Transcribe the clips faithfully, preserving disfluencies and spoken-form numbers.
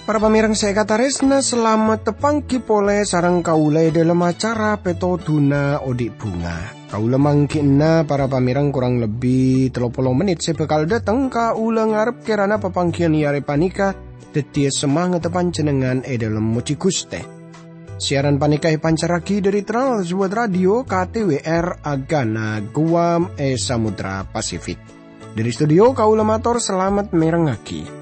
Para pamèrèng sè èkatarèsna, salamet tapanggi polè sareng kaulâ è dhâlem acara Pètodhuna Odi' Bhunga. Kaulâ mangghi'na para pamèrèng korang lebbi tello polo mennit sè bhâkal dhâteng. Kaulâ ngarep kèrana papangghiyân è arè panèka dhâddhiyâ samangatta panjhennengngan è dhâlem mojhi Ghustè. Siaran panèka èpancarraghi dhâri Trans World Radio K T W R Agana Guam è Samudra Pasifik. Dhâri studio kaulâ mator salamet mèrengngaghi.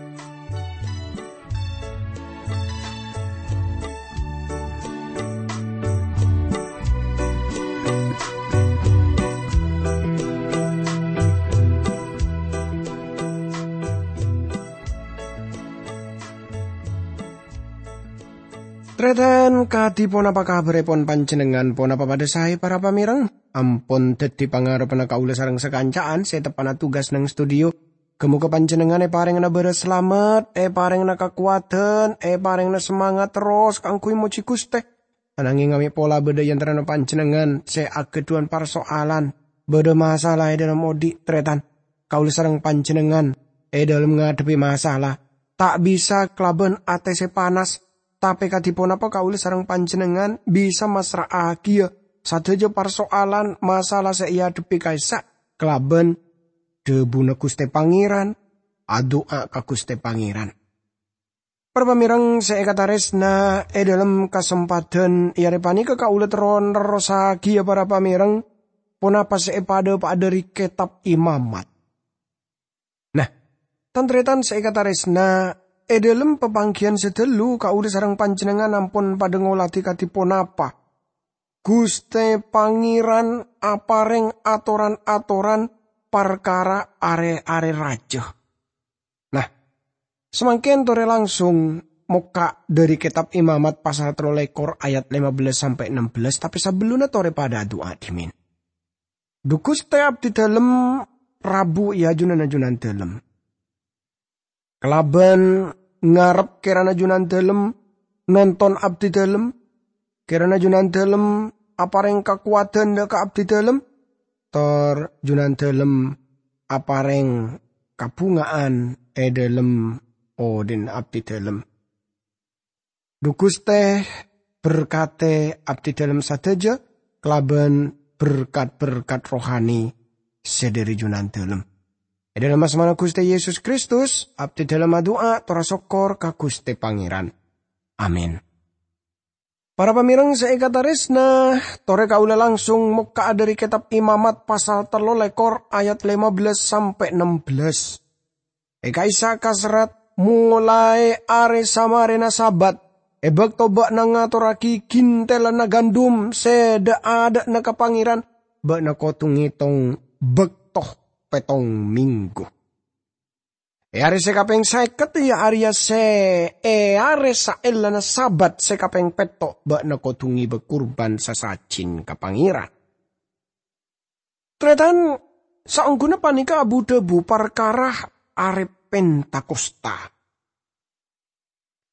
Tarètan, kadhi ponapa kabhârèpon panjhennengngan? Ponapa padhâ saè, para pamèrèng? Ampon dhâddhi pangarebbhânna kaulâ sareng sakanca'an sè teppa'na tugas neng studio. Ghâ-mogâ panjhennengngan èparèngana bârâs salamet, èparèngana kakowadhân, èparèngana samangat terros kaangghuy mojhi Ghustè. Ananghing amè' pola bâdâ è antarana panjhennengngan sè aghâdhuwân parsoalan, bâdâ masalah è dhâlem odi', tarètan. Kaulâ sareng panjhennengngan è dhâlem ngadhebbhi masalah, ta' bisa kalabân atè sè panas, tapè kadhi ponapa kaulâ sareng panjhennengngan bisa massra'aghiyâ sadhâjâ parsoalan masalah sè èadhebbhi ka'issa' kalabân dhâbuna Ghustè Pangèran, adu'a ka Ghustè Pangèran. Para pamèrèng sè èkatarèsna, è dhâlem kasempadhân è arè panèka kaulâ terro nerrossaghiyâ, para pamèrèng, ponapa sè èpadhâpa'a dhâri Kètab Imamat. Nah, tan-tarètan sè èkatarèsna, è dhâlem papangghiyân sè dâllu kaulâ sareng panjhennengngan ampon padhâ ngoladhi kadhi ponapa Ghustè Pangèran aparèng atoran-atoran parkara arè-arè rajâ. Nah, samangkèn torè langsung mokka' dhâri Kètab Imamat pasal tello lèkor ayat lèma bellâs sampè' ennem bellâs, tapè sabellunna torè padhâ adu'a dhimèn. Dhu Ghustè, abdhi dhâlem rabu è ajunanna Jhunandhâlem. Kalabân ngarep kèrana Jhunandhâlem nonton abdhi dhâlem, kèrana Jhunandhâlem aparèng kakowadhân dhâ' ka abdhi dhâlem, tor Jhunandhâlem aparèng kabhunga'an è dhâlem odhi'na abdhi dhâlem. Dhu Ghustè, berkadhi abdhi dhâlem sadhâjâ kalabân berkat-berkat rohani sè dhâri Jhunandhâlem. È dhâlem asmana Ghustè Yesus Kristus, abdhi dhâlem adu'a tor asokkor ka Ghustè Pangèran. Amin. Para pamèrèng sè èkatarèsna, torè kaulâ langsung mokka'a dhâri Kètab Imamat pasal tello lèkor ayat lèma bellâs sampè' ennem bellâs. È ka'issa' kaserrat, molaè arè samarèna Sabat, è bâkto bâ'na ngatorraghi ghintèlanna gandum sè dha'-adha'na ka Pangèran, bâ'na kodhu ngètong bâkto pèttong mènggu. È arè sè kapèng sèket, iyâ arèya sè è arè saellana Sabat sè kapèng pètto', bâ'na kodhu ngèbâ kurban sasajin ka Pangèran. Tarètan, saongghuna panèka abu-dhâbu parkara arè Pentakosta.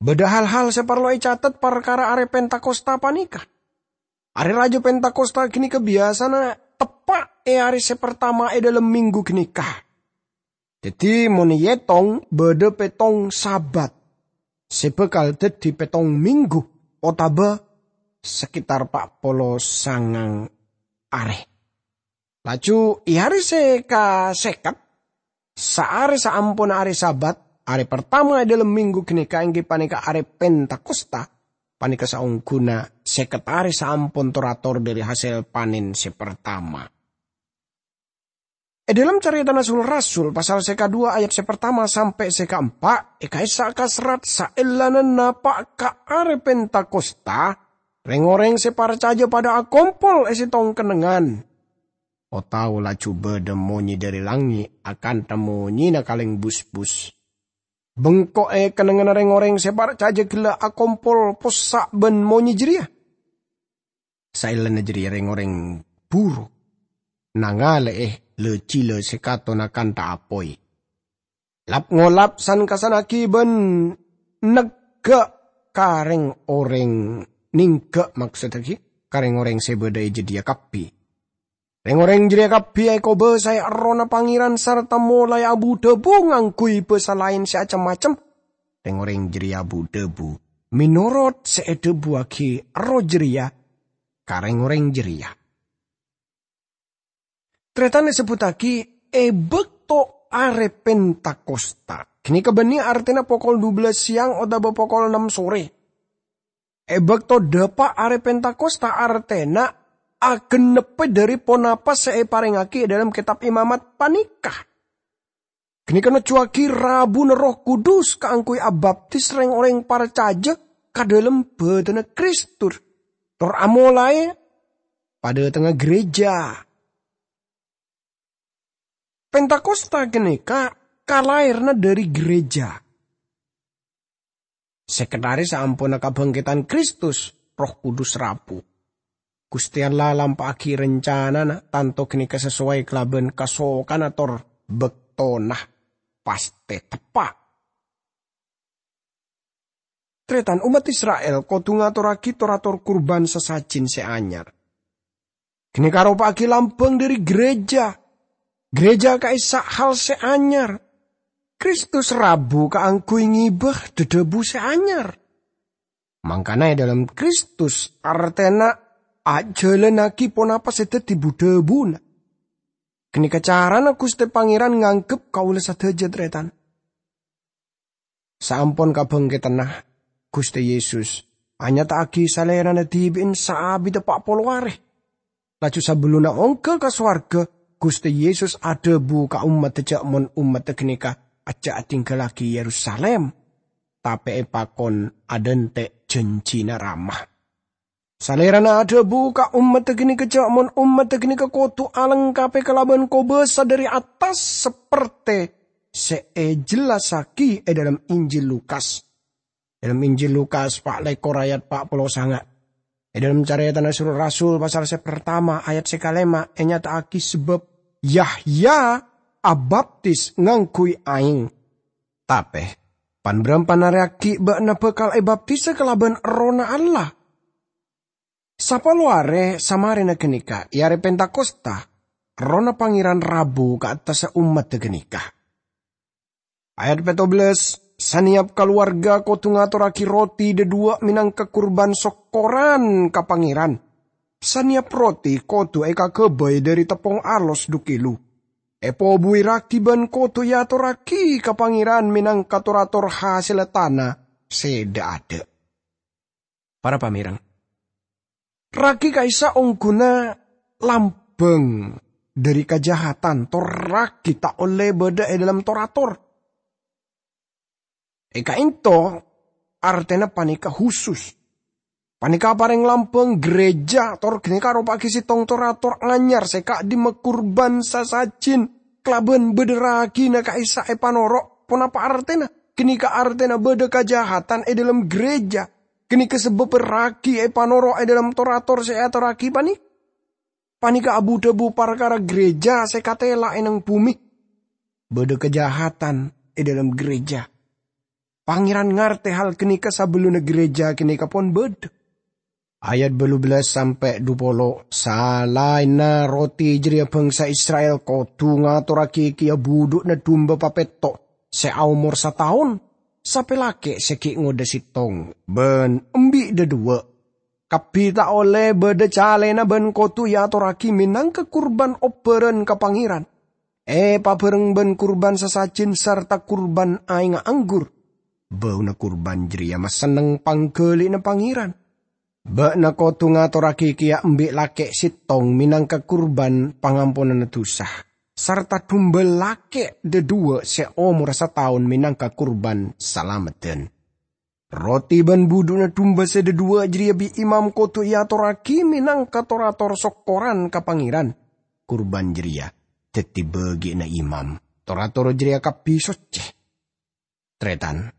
Bâdâ hal-hal sè parlo ècatet parkara arè Pentakosta panèka. Arè rajâ Pentakosta ghânèka biyasana teppa' è arè sè partama è dhâlem mènggu ghânèka. Dhâddhi, mon èyètong, bâdâ pèttong Sabat sè bhâkal dhâddhi pèttong mènggu, otabâ sakètar pa' polo sangang arè. Laju, è arè sè kasèket, saarè saamponna arè Sabat, arè partama è dhâlem mènggu ghânèka èngghi panèka arè Pentakosta, panèka saongghuna sèket arè saampon tor-ator dhâri hasèl panèn sè partama. È dhâlem Carètana Sul-Rasul, pasal sè kadhuwâ ayat sè partama sampè' sè kaempa', è ka'issa' kaserrat saellana napa' ka arè Pentakosta, rèng-orèng sè parcajâ padâ akompol è sèttong kennengngan. Otabâ laju bâdâ monyè dhâri langngè' akantha monyèna kalèng busbus. Bengko'è kennengnganna rèng-orèng sè parcajâ ghellâ' akompol possa' bân monyè jârèya. Saellana jârèya rèng-orèng buru nangalè'è la-jila sè katona kantha apoy. Lap-ngolap san-kassannaghi bân negghâ' ka reng-oreng nèngghâ', maksoddhâ ghi' ka reng-oreng sè bâdâ è jâdiyâ kabbhi. Reng-oreng jârèya kabbhi èkobâsaè Errohna Pangèran sarta molaè abu-dhâbu ngangghuy bhâsa laèn sè cem-macem. Reng-oreng jârèya abu-dhâbu mènorot sè èdhâbuwaghi Erroh jârèya ka reng-oreng jârèya. Tarètan èsebbhuttaghi è bâkto Arè Pentakosta. Ghânèka bânnè artèna pokol dubellâs sèyang otabâ pokol ennem sorè. È bâkto dhâpa' Arè Pentakosta artèna agennebbhâ dhâri ponapa sè èparèngaghi è dhâlem Kètab Imamat panèka. Ghânèka nojjuwaghi rabuna Erroh Kudus kaangghuy abaptis reng-oreng parcajâ ka dhâlem bâdânna Kristus, tor amolaè padâtengnga ghârèjâ. Pentakosta ghânèka kalaèranna dhâri ghârèjâ. Saketarè saamponna kabhângkèdhân Kristus, Erroh Kudus rabu. Ghustè Allah lampa'aghi rencanana, tanto ghânèka sasowai kalabân kasokanna tor bâktona pastè teppa'. Tarètan, ommat Isra'il kodhu ngatorraghi tor-ator kurban sasajin sè anyar. Ghânèka aropa'aghi lambâng dhâri ghârèjâ. Ghârèjâ ka'issa' hal sè anyar. Kristus rabu kaangghuy ngibâ dhâdhâbu sè anyar. Mangkana è dhâlem Kristus artèna ajhâlânnaghi ponapa sè dhâddhi bu-dhâbuna. Ghânèka carana Ghustè Pangèran nganggep kaulâ sadhâjâ, tarètan. Saampon kabhângkèdhânna, Ghustè Yesus anyata'aghi Salèrana dhibi'en saabidda pa' polo arè. Laju sabellunna ongghâ ka sowarghâ, Ghustè Yesus adhâbu ka ommaddhâ jhâ' mon ommaddhâ ghânèka ajjhâ' adhinggallaghi Yerusalim, tapè èpakon adhânte' jhânjhina Rama. Salèrana adhâbu ka ommaddhâ ghânèka jhâ' mon ommaddhâ ghânèka kodhu alengkapè kalabân kobâsa dhâri attas sapertè sè èjellassaghi è dhâlem Injil Lukas. È dhâlem Injil Lukas pa' lèkor ayat pa' polo sanga'. È dhâlem Carètana Sul-Rasul pasal sè partama ayat sè kalèma ènyata'aghi sabâb Yahya abaptis ngangghuy aèng. Tapè, pan-bârâmpan arè aghi' bâ'na bhâkal èbaptisa kalabân Errohna Allah. Sapolo arè samarèna ghânèka, è arè Pentakosta, Errohna Pangèran rabu ka attassa ommaddhâ ghânèka. Ayat pètto bellâs, "Sanèyap kalowarga kodhu ngatorraghi roti dhâduwâ' mènangka kurban sokkoran ka Pangèran. Sanèyap roti kodhu èkaghâbây dhâri teppong alos dhu kilo. Èpobuwi ragi bân kodhu èatorraghi ka Pangèran mènangka tor-ator hasèlla tana sè dha'-adha'." Para pamèreng, ragi ka'issa' ongghuna lambâng dhâri kajahatan, tor ragi ta' ollè bâdâ è dhâlem tor-ator. È ka'ènto artèna panèka husus. Panèka aparèng lambâng ghârèjâ, tor ghânèka aropa'aghi sèttong tor-ator anyar sè ka'dimma kurban sasajin kalabân bâdâ ragina ka'issa' èpanoro'. Ponapa artèna? Ghânèka artèna bâdâ kajahatan è dhâlem ghârèjâ. Ghânèka sabâbbhâ ragi èpanoro' è dhâlem tor-ator sè èatorraghi panè-, panèka abu-dhâbu parkara ghârèjâ sè katèla è neng bhumè. Bâdâ kajahatan è dhâlem ghârèjâ. Pangèran ngartè hal ghânèka sabellunna ghârèjâ ghânèka pon bâdâ. Ayat bâllu bellâs sampè' dhu polo, "Salaènna roti jârèya bhângsa Isra'il kodhu ngatorraghi kèya budhu'na dumba papètto' sè aomor sataon, sapè lakè' sè ghi' ngodâ sèttong, bân embi' dhâduwâ'. Kabbhi ta' ollè bâdâ calèna bân kodhu èatorraghi mènangka kurban obbhârân ka Pangèran, èpabhâreng bân kurban sasajin sarta kurban aèngnga anggur. Bâuna kurban jârèya masenneng pangghâli'na Pangèran. Bâ'na kodhu ngatorraghi kèya embi' lakè' sèttong mènangka kurban pangamponanna dhusa, sarta dumba lakè' dhâduwâ' sè omorra sataon mènangka kurban salameddhân. Roti bân budhu'na dumba sè dhâduwâ' jârèya bi' imam kodhu èatorraghi mènangka tor-ator sokkoran ka Pangèran. Kurban jârèya dhâddhi bâgi'anna imam. Tor-ator jârèya kabbhi soccè." Tarètan,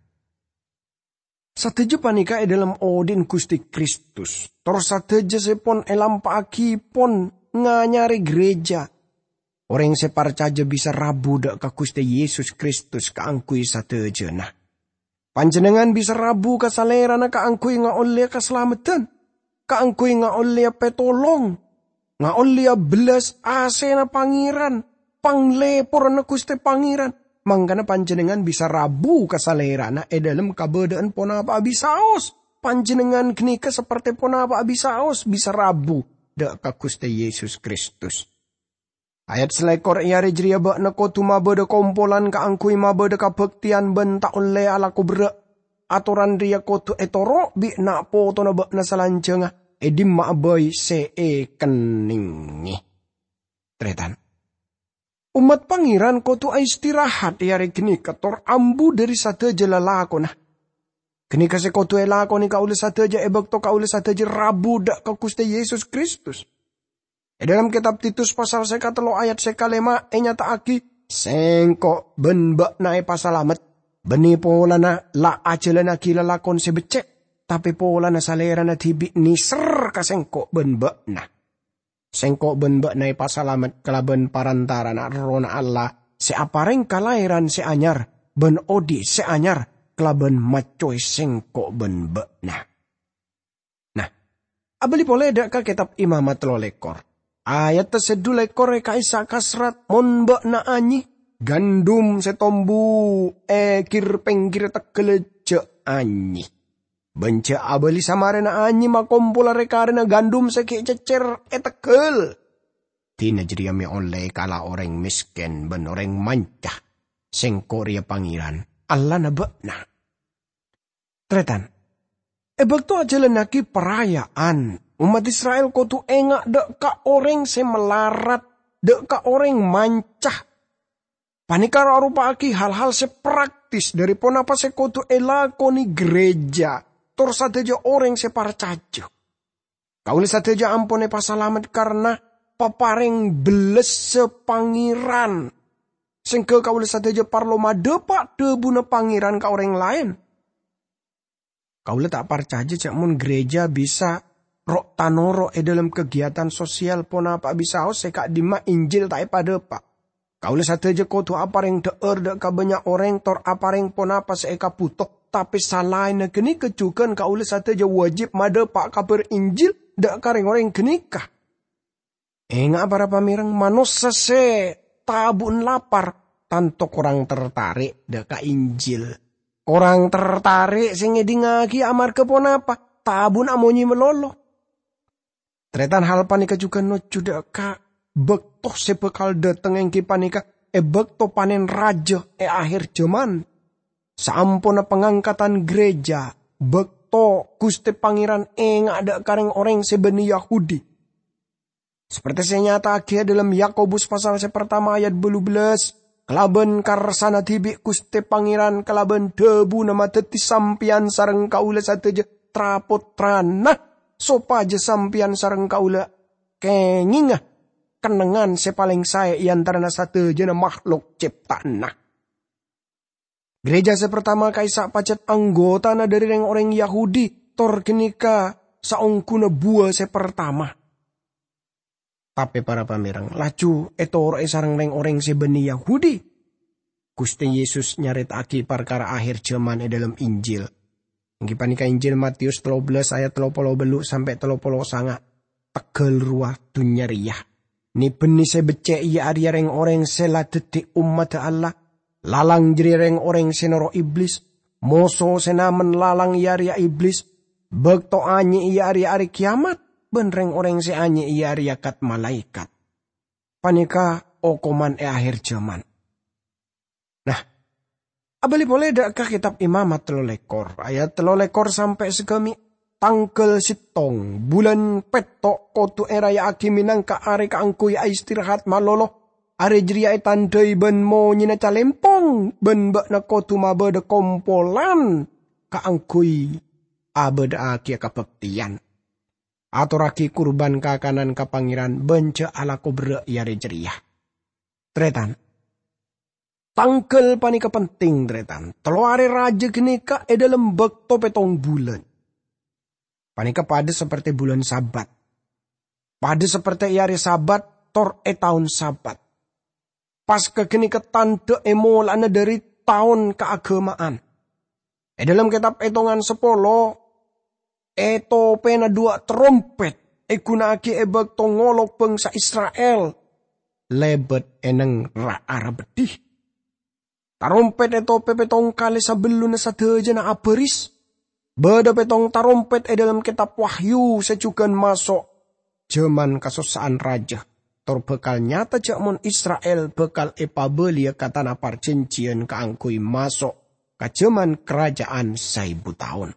sadhâjâ panèka è dhâlem odi'na Ghustè Kristus. Tor sadhâjâ sè pon èlampa'aghi pon nganyarè ghârèjâ. Orèng sè parcajâ bisa rabu dâ' ka Ghustè Yesus Kristus kaangghuy sadhâjâna. Panjhennengngan bisa rabu ka Salèrana kaangghuy ngaollèya kasalameddhân, kaangghuy ngaollèya pètolong, ngaollèya bellas asèna Pangèran, panglèporanna Ghustè Pangèran. Mangkana panjhennengngan bisa rabu ka Salèrana è dhâlem kabâdâ'ân ponapa'a bisaos. Panjhennengngan ghânèka saperte ponapa'a bisaos bisa rabu dâ' ka Ghustè Yesus Kristus. Ayat salèkor, è arè jârèya bâ'na kodhu mabâdâ kompolan kaangghuy mabâdâ kabhâktèyan bân ta' ollè alako berrâ'. Atoran rèya kodhu ètoro' bi' na'-potona bâ'na salanjhângnga è dimma'a bhâi sè èkennengngè. Tarètan. Ommat Pangèran kodhu aistirahat è arè ghânèka tor ambu dhâri sadhâjâ lalakonna. Ghânèka sè kodhu èlakonè kaulâ sadhâjâ è bâkto kaulâ sadhâjâ rabu dâ' ka Ghustè Yesus Kristus. È dhâlem kètab Titus pasal sè katello ayat sè kalèma ènyata'aghi, "Sèngko' bân bâ'na èpasalamet, bânnè polana la ajhâlannaghi lalakon sè beccè', tapè polana Salèrana dhibi' nèser ka sèngko' bân bâ'na." Sèngko' bân bâ'na èpasalamet kalabân parantara'anna Errohna Allah sè aparèng kalahèran sè anyar bân odi' sè anyar kalabân maccowè sèngko' bân bâ'na. Nah, abâli polè dâ' ka Kètab Imamat tello lèkor. Ayat sè dhu lèkor è ka'issa' kasrat, "Mon bâ'na anyè, gandum sè tombu è gir-pèngghirrâ tegghâl jhâ' anyè." Bân jhâ' abâli samarèna anyè makompola rè-karèna gandum sè ghi' cèccèr è tegghâl. Dina jârèya mè' ollè kala orèng mèskèn bân orèng manca. Sèngko' rèya Pangèran, Allahna bâ'na. Tarètan, è bâkto ajhâlannaghi paraya'an, ommat Isra'il kodhu enga' dâ' ka orèng sè malarat, dâ' ka orèng manca. Panèka aropa'aghi hal-hal sè praktis dhâri ponapa sè kodhu èlakonè gereja tor sadhâjâ orèng sè parcajâ. Kaulâ sadhâjâ ampon èpasalamet karna paparèng bellessa Pangèran. Sèngghâ kaulâ sadhâjâ parlo madhâpa' dhâbuna Pangèran ka orèng laèn. Kaulâ ta' parcajâ jhâ' mon gereja bisa ro'-tanoro' è dhâlem kagiatan sosial ponapa'a bisaos sè ka'dimma Injil ta' èpadhâpa'. Kaulâ sadhâjâ kodhu aparèng dhâ'âr dâ' ka bânnya' orèng tor aparèng ponapa sè èkabhuto, tapè salaènna ghânèka jhughân kaulâ sadhâjâ wajib madhâpa' kabhâr Injil dâ' ka rèng-orèng ghânèka. Enga'a, para pamèreng, manossa sè tabu'na lapar tanto korang tertarè' dâ' ka Injil. Korang tertarè' sè ngèdingngaghi amarghâ ponapa? Tabu'na amonyè malolo. Tarètan, hal panèka jhughân nojjhu dâ' ka bâkto sè bhâkal dhâteng, èngghi panèka è bâkto panèn rajâ è akhèr jhâman. Saamponna pangangkatan gereja, bâkto Ghustè Pangèran enga' dâ' ka rèng-orèng sè bânnè Yahudi. Saperte sè ènyata'aghi è dhâlem Yakobus pasal sè partama ayat bâllu bellâs, "Kalabân karsana dhibi' Ghustè Pangèran kalabân dhâbuna madhâddhi sampèyan sareng kaulâ sadhâjâ tra-pottrana, sopajâ sampèyan sareng kaulâ kèngènga kennengngan sè palèng saè è antarana sadhâjâna makhlok cèpta'anna." Gereja sè partama ka'issa' pajhât anggotana dhâri rèng-orèng Yahudi, tor ghânèka saongghuna buwâ sè partama. Tapè, para pamèreng, laju ètoro'è sareng rèng-orèng sè bânnè Yahudi. Ghustè Yesus nyarèta'aghi parkara akhèr jhâman è dhâlem Injil. Èngghi panèka Injil Matius tello bellâs ayat tello polo bâllu' sampè' tello polo sanga'. Tegghâl rowa dhunnya rèya. Nè-bânnè sè beccè' iyâ arèya rèng-orèng sè la dhâddhi ommadhâ Allah. Lalang jârèya rèng-orèng sè noro' Iblis. Moso sè namen lalang iyâ arèya Iblis. Bâkto anyè iyâ arèya arè kèyamat, bân rèng-orèng sè anyè iyâ arèya kat-malaèkat. Panèka okoman è akhèr jhâman. Nah, abâli polè dâ' ka Kètab Imamat tello lèkor, ayat tello lèkor sampè' sagâmè', tangghâl sèttong, bulân pètto' kodhu èraya'aghi mènangka arè kaangghuy aistirahat malolo. Arè jârèya ètandhâi bân monyèna calèmpong, bân bâ'na kodhu mabâdâ kompolan kaangghuy abâdâ'aghiyâ kabhâktèyan. Atorraghi kurban kakanan ka Pangèran bân jhâ' alako berrâ' è arè jârèya. Tarètan. Tangghâl panèka penting, tarètan. Tello arè rajâ ghânèka è dhâlem bâkto pèttong bulân. Panèka padâ saperte bulân Sabat. Padâ saperte è arè Sabat tor è taon Sabat. Paska ghânèka tandhâ è mola'na dhâri taon kaaghâma'an. È dhâlem kètab Ètongan sapolo, è topèna duwâ' tarompèt èghuna'aghi è bâkto ngolok bhângsa Isra'il lèbât è nèng ra-ara beddhi. Tarompèt è topè pèttong kalè sabellunna sadhâjâna abhâris. Bâdâ pèttong tarompèt è dhâlem kètab Wahyu sè jhughân maso' jhâman kasossa'an rajâ, tor bhâkal nyata jhâ' mon Isra'il bhâkal èpabâliyâ ka tana parjhânjhiyân kaangghuy maso' ka jhâman karaja'an saèbu taon.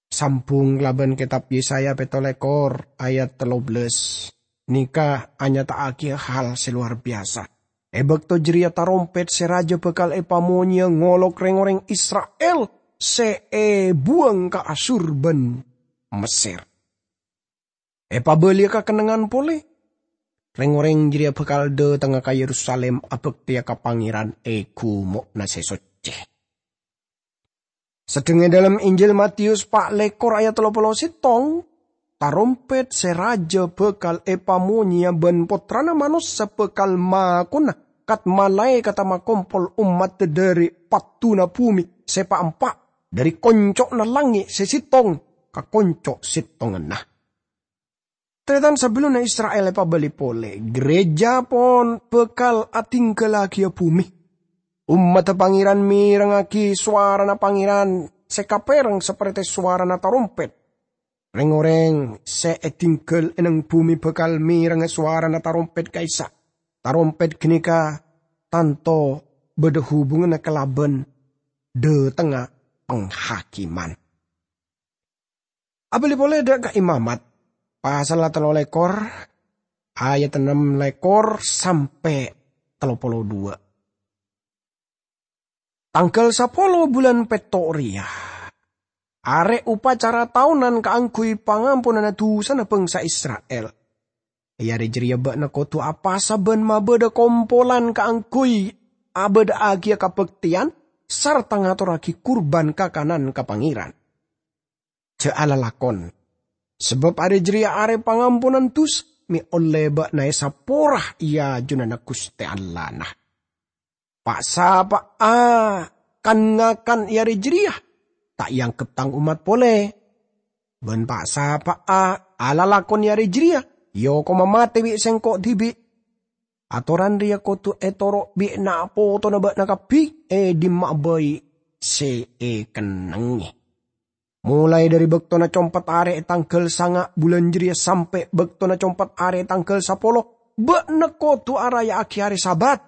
Sambhung kalabân kètab Yesaya pètto lèkor ayat tello bellâs, nèka anyata'aghi hal sè lowar biyasa. È bâkto jârèya tarompèt sè rajâ bhâkal èpamonyèya ngolok rèng-orèng Isra'il sè èbuwâng ka Asur bân Messèr. Èpabâliyâ ka kennengngan polè. Rèng-orèng jârèya bhâkal dâtengnga ka Yerusalim abhâktèya ka Pangèran è ghumo'na sè soccè. Sedheng è dhâlem Injil Matius pa' lèkor ayat tello polo sèttong, tarompèt sè rajâ bhâkal èpamonyèya bân Pottrana Manossa bhâkal makona kat-malaèkatta makompol ommadda dhâri padduna bhumè sè pa'-empa', dhâri konco'na langngè' sè sèttong ka konco' sèttonganna. Tarètan, sabellunna Isra'il èpabâli polè, ghârèjâ pon bhâkal adhingghâllaghi bhumè. Ommadda Pangèran mèrengngaghi sowarana Pangèran sè kapèreng saparèta sowarana tarompèt. Rèng-orèng sè èdhingghâl è nèng bhumè bhâkal mèrengngè sowarana tarompèt ka'issa'. Tarompèt ghânèka tanto bâdâ hubunganna kalabân dâtengnga panghakimman. Abâli polè dâ' ka Imamat, pasalla tello lèkor, ayat ennem lèkor sampè' tello polo duwâ'. Tangghâl sapolo bulân pètto' rèya, arè upacara taonan kaangghuy pangamponanna dusana bhângsa Isra'il. È arè jârèya bâ'na kodhu apasa bân mabâdâ kompolan kaangghuy abâdâ'âghiyâ kabhâktèyan sarta ngatorraghi kurban kakanan ka Pangèran. Jhâ' alalakon, sabâb arè jârèya arè pangamponan dusa, mè' ollè bâ'na èsapora è ajunanna Ghustè Allahna. Pa'-sapa'a kan-ngakan è arè jârèya ta' èangghep tang ommat polè. Bân pa'-sapa'a alalakon è arè jârèya èokoma matè bi' Sèngko' dhibi'. Atoran rèya kodhu ètoro' bi' na'-potona bâ'na kabbhi è dimma'a bhâi sè èkennengngè. Molaè dhâri bâktona compet arè è tangghâl sanga' bulân jârèya sampè' bâktona compet arè è tangghâl sapolo, bâ'na kodhu araya'aghi arè Sabat,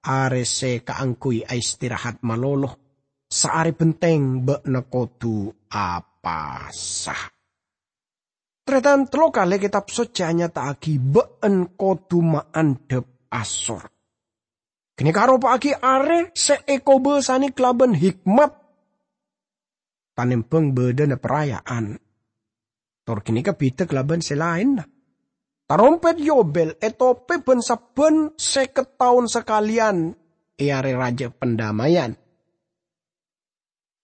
arè sè kaangghuy aistirahat malolo, saarè bhenteng bâ'na kodhu apasa. Tarètan, tello kalè Kètab Soccè anyata'aghi bâ'na kodhu maandhâp asor. Ghânèka aropa'aghi arè sè èkobâsanè kalabân hikmat, tanèmbhâng bâdâna paraya'an. Tor ghânèka bhidhâ kalabân sè laènna. Tarompèt Yobel ètopè bân sabbhân sèket taon sakalèyan è Arè Rajâ Pandamèyan.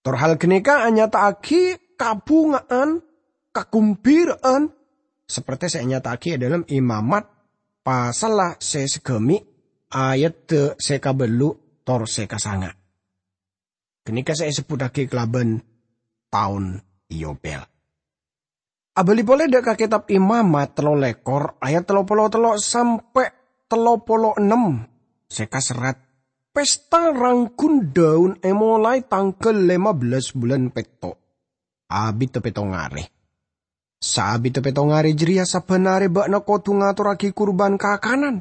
Tor hal ghânèka anyata'aghi kabhunga'an, kagumbira'an, sapertè sè anyata'aghi è dhâlem Imamat, pasalla sè saghâmè', ayat sè kabâllu' tor sè kasanga'. Ghânèka sè èsebbhuttaghi kalabân taon Yobel. Abâli polè dâ' ka Kètab Imamat tello lèkor, ayat tello polo tello sampè' tello polo ennem, sè kaserrat, "Pesta rangghun dâun èmolaè tangghâl lèma bellâs bulân pètto', abiddhâ pèttong arè. Saabiddhâ pèttong arè jârèya, sabbhân arè bâ'na kodhu ngatorraghi kurban kakanan.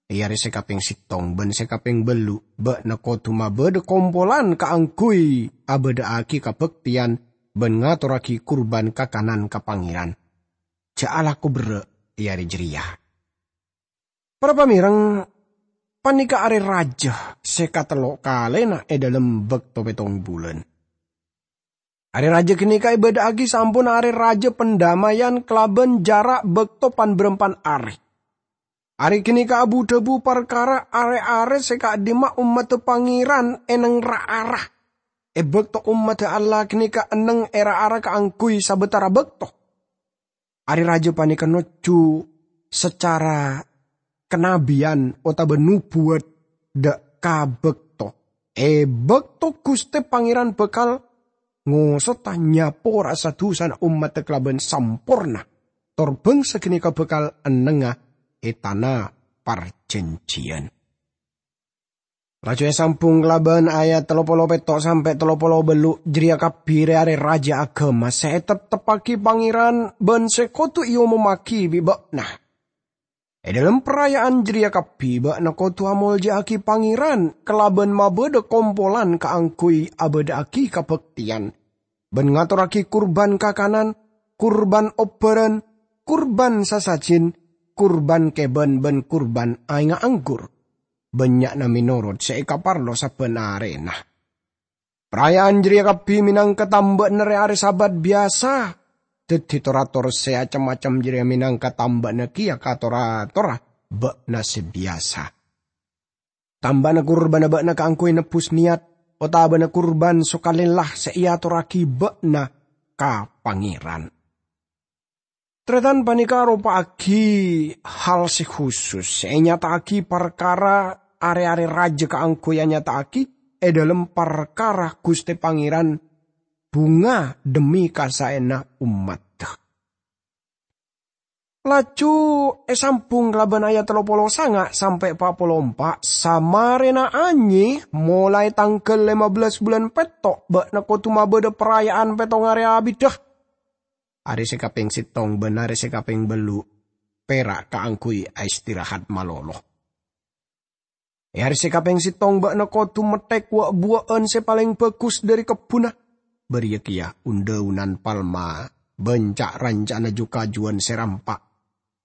È arè sè kapèng sèttong bân sè kapèng bâllu', bâ'na kodhu mabâdâ kompolan kaangghuy abâdâ'âghi kabhâktèyan bân ngatorraghi kurban kakanan ka Pangèran. Jhâ' alako berrâ' è arè jârèya." Para pamèreng, panèka arè rajâ sè katello kalèna è dhâlem bâkto pèttong bulân. Arè rajâ ghânèka èbâdâ'âghi saamponna Arè Rajâ Pandamèyan kalabân jhârâ' bâkto pan-bârâmpan arè. Arè ghânèka abu-dhâbu parkara arè-arè sè ka'dimma ommaddhâ Pangèran è neng ra-ara, è bâkto ommaddhâ Allah ghânèka enneng è ra-ara kaangghuy sabâtara bâkto. Arè rajâ panèka nojjhu sacara kanabiyân otabâ nobuwât dâ' ka bâkto E bakto Guste Pangeran bakal ngosota nyapora'a sa-dusana ommadda kalaban samporna, tor bangsa ganeka bakal ennengnga e tana parjanjiyan. Laju esambung kalaban ayat tello polo petto' sampe' tello polo bellu', jareya kabbi re-are raja agama se etetteppagi Pangeran ban se kodu eomommagi bi' ba'na. E dhalem paraya'an jareya kabbi ba'na kodu amolja'agi Pangeran kalaban mabadha kompolan kaangguy abadha'agi kabakteyan, ban ngatorragi kurban kakanan, kurban obbaran, kurban sasajin, kurban keban, ban kurban aengnga anggur, bannya'na menorot se ekaparlo sabban arena. Paraya'an jareya kabbi menangka tamba'na re-are Sabat biyasa, daddi tor-ator se acem-macem jareya menangka tamba'na keya ka tor-atorra ba'na se biyasa. Tamba'na kurbana ba'na kaangguy nebbus neyat, otabana kurban sokalella se eatorragi ba'na ka Pangeran. Taretan, paneka aropa'agi hal se khusus se enyata'agi parkara are-are raja kaangguy anyata'agi e dhalem parkara Guste Pangeran bhunga dhemmi kasaena ommadda. Laju esambung kalaban ayat tello polo sanga' sampe' pa' polo empa', samarena anye molae tanggal lema bellas bulan petto' ba'na kodu mabadha paraya'an Pettonga Are Abidda. Are se kapeng settong ban are se kapeng bellu' pera' kaangguy aistirahat malolo. E are se kapeng settong ba'na kodu metthek wa'-buwa'an se paleng bagus dhari kebbunna, bariya keya un-dhaunan palma ban ca'-ranca'anna ju-kajuwan se rampa'.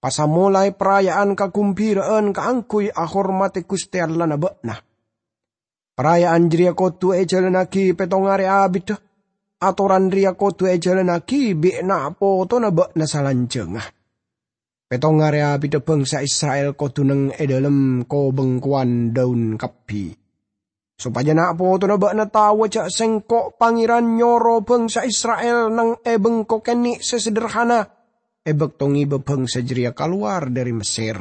Pasamolae paraya'an kagumbira'an kaangguy ahormate Guste Allahna ba'na. Paraya'an jareya kodu ejalannagi Pettonga Are Abidda. Atoran reya kodu ejalannagi bi' na'-potona ba'na salanjangnga. Pettonga Are Abidda bangsa Isra'il kodu neng e dhalem ko-bengkowan dhaun kabbi, sopaja na'-potona ba'na taowa ja' Sengko' Pangeran nyoro bangsa Isra'il neng e bengko kenne' se sederhana e bakto ngeba bangsa jareya kalowar dhari Messer.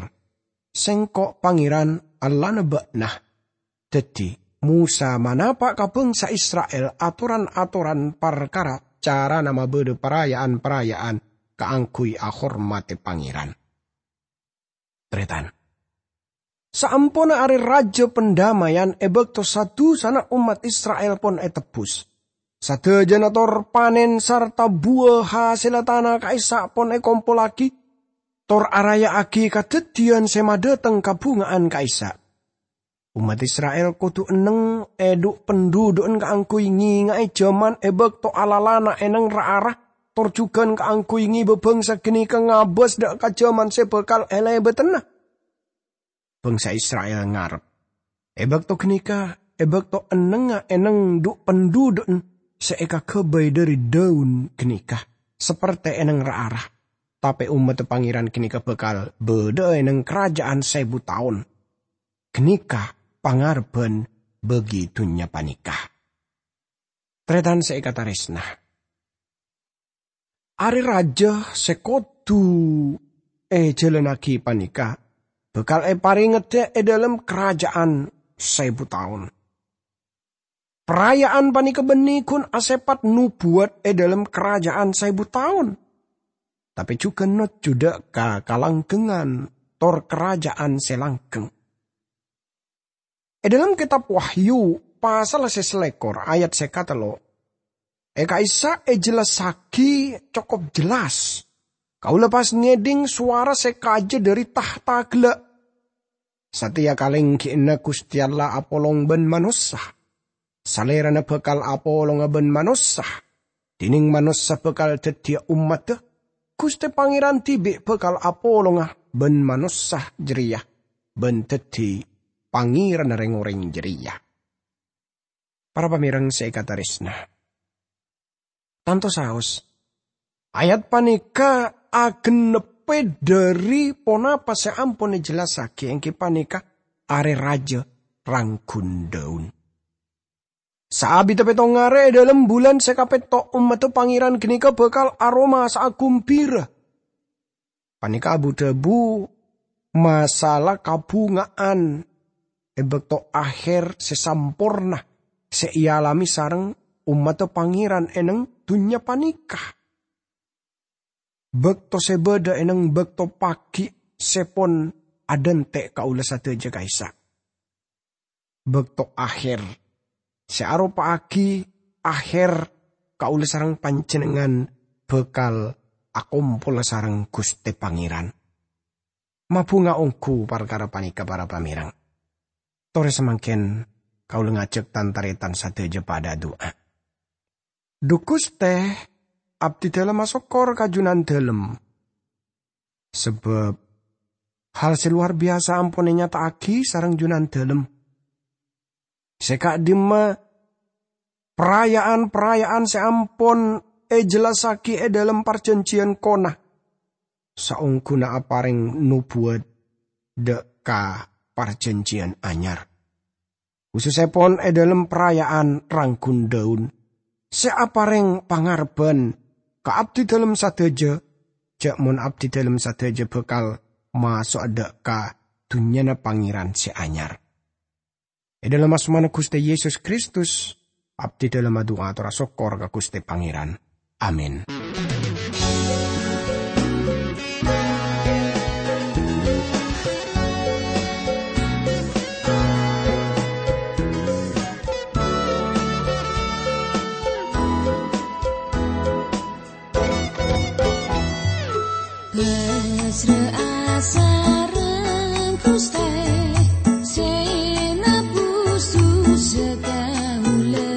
Sengko' Pangeran, Allahna ba'na. Daddi, Mosa manapa' ka bangsa Isra'il atoran-atoran parkara carana mabadha paraya'an-paraya'an kaangguy ahormate Pangeran. Taretan, saamponna Are Raja Pandamaiyan e bakto sa-dusana ommat Isra'il pon etebbus, sadajana tor panen sarta buwa hasella tana ka'issa' pon ekompollagi, tor araya'agi kadaddiyan se madhateng kabhunga'an ka'issa'. Ommat Isra'il kodu enneng e dhu'-pendhudhu'en kaangguy ngenga'e jaman e bakto alalana eneng ra-ara, tor jugan kaangguy ngeba bangsa ganeka ngabas dha' ka jaman se bakal elebatenna. Bangsa Isra'il ngarep, e bakto ganeka, e bakto ennengnga eneng dhu'-pendhudhu'en se ekagabay dhari dhaun ganeka, saperte eneng ra-ara, tape ommadda Pangeran ganeka bakal badha'a eneng karaja'an saebu taon. Ganeka pangarebban bagi dunnya paneka. Taretan se ekataresna, Are Raja se kodu ejalannagi paneka bakal eparengedda e dhalem karaja'an saebu taon. Paraya'an paneka banne gun asepat nobuwat e dhalem karaja'an saebu taon, tape jugan nojjudda ka kalanggengngan tor karaja'an se langgeng. E dhalem Ketab Wahyu, pasal se salekor ayat se katello, e ka'issa' ejellassagi cokop jellas. Kaula pas ngedhing sowara se kaja dhari tahta gella', "Sateya kalenggi'anna Guste Allah apolong ban manossa. Salerana bakal apolonga ban manossa, dineng manossa bakal daddiya ommadda. Guste Pangeran dibi' bakal apolonga ban manossa jareya, ban daddi Pangeranna reng-oreng jareya." Para pamereng se ekataresna, tanto saos, ayat paneka agenneppe dhari ponapa se ampon ejellassagi, enggi paneka Are Raja ranggun dhaun. Saabitta petto' are e dhalem bulan se kapetto', ommadda Pangeran ganeka bakal aromasa agumbira. Paneka abu-dhabu masalah kabhunga'an e bakto aher se samporna sè èalamè sareng ommaddhâ Pangèran è neng dhunnya panèka. Bâkto sè bâdâ è neng bâkto paghi' sè pon adhânte' kaulâ sadhâjâ ka'issa'. Bâkto aher sè aropa'aghi aher kaulâ sareng panjhennengngan bhâkal akompola sareng Ghustè Pangèran. Mabhunga ongghu parkara panèka, para pamèreng. Torè samangkèn kaulâ ngajhâk tan-tarètan sadhâjâ padâ adu'a. Dhu Ghustè, abdhidhâlem asokkor ka Jhunandhâlem, sabâb hal sè lowar biyasa ampon ènyata'aghi sareng Jhunandhâlem. Sè ka'dimma paraya'an-paraya'an sè ampon èjellassaghi è dhâlem Parjhânjhiyân Kona, saongghuna aparèng nobuwât dâ' ka Parjhânjhiyân Anyar. Khusussèpon è dhâlem paraya'an rangghun dhâun, sè aparèng pangarebbhân ka abdhidhâlem sadhâjâ, jhâ' mon abdhidhâlem sadhâjâ bhâkal maso'a dâ' ka dhunnyana Pangèran sè anyar. È dhâlem asmana Ghustè Yesus Kristus, abdhidhâlem adu'a ator asokkor ka Ghustè Pangèran. Amin. Pasra'a sareng Ghustè sè nabus dhusa kaulâ,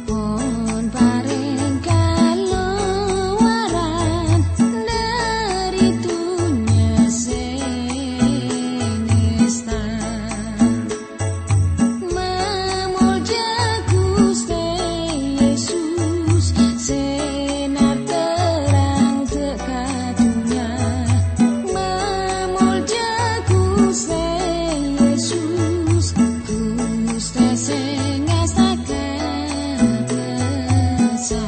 pon parèng kalowaran dhâri dhunnya sè nèsta. Mamolja Ghustè Yesus, sè narterrang dâ' ka dhunnya. Mamolja Ghustè Yesus, Ghustè sè ngastaka dhâsa.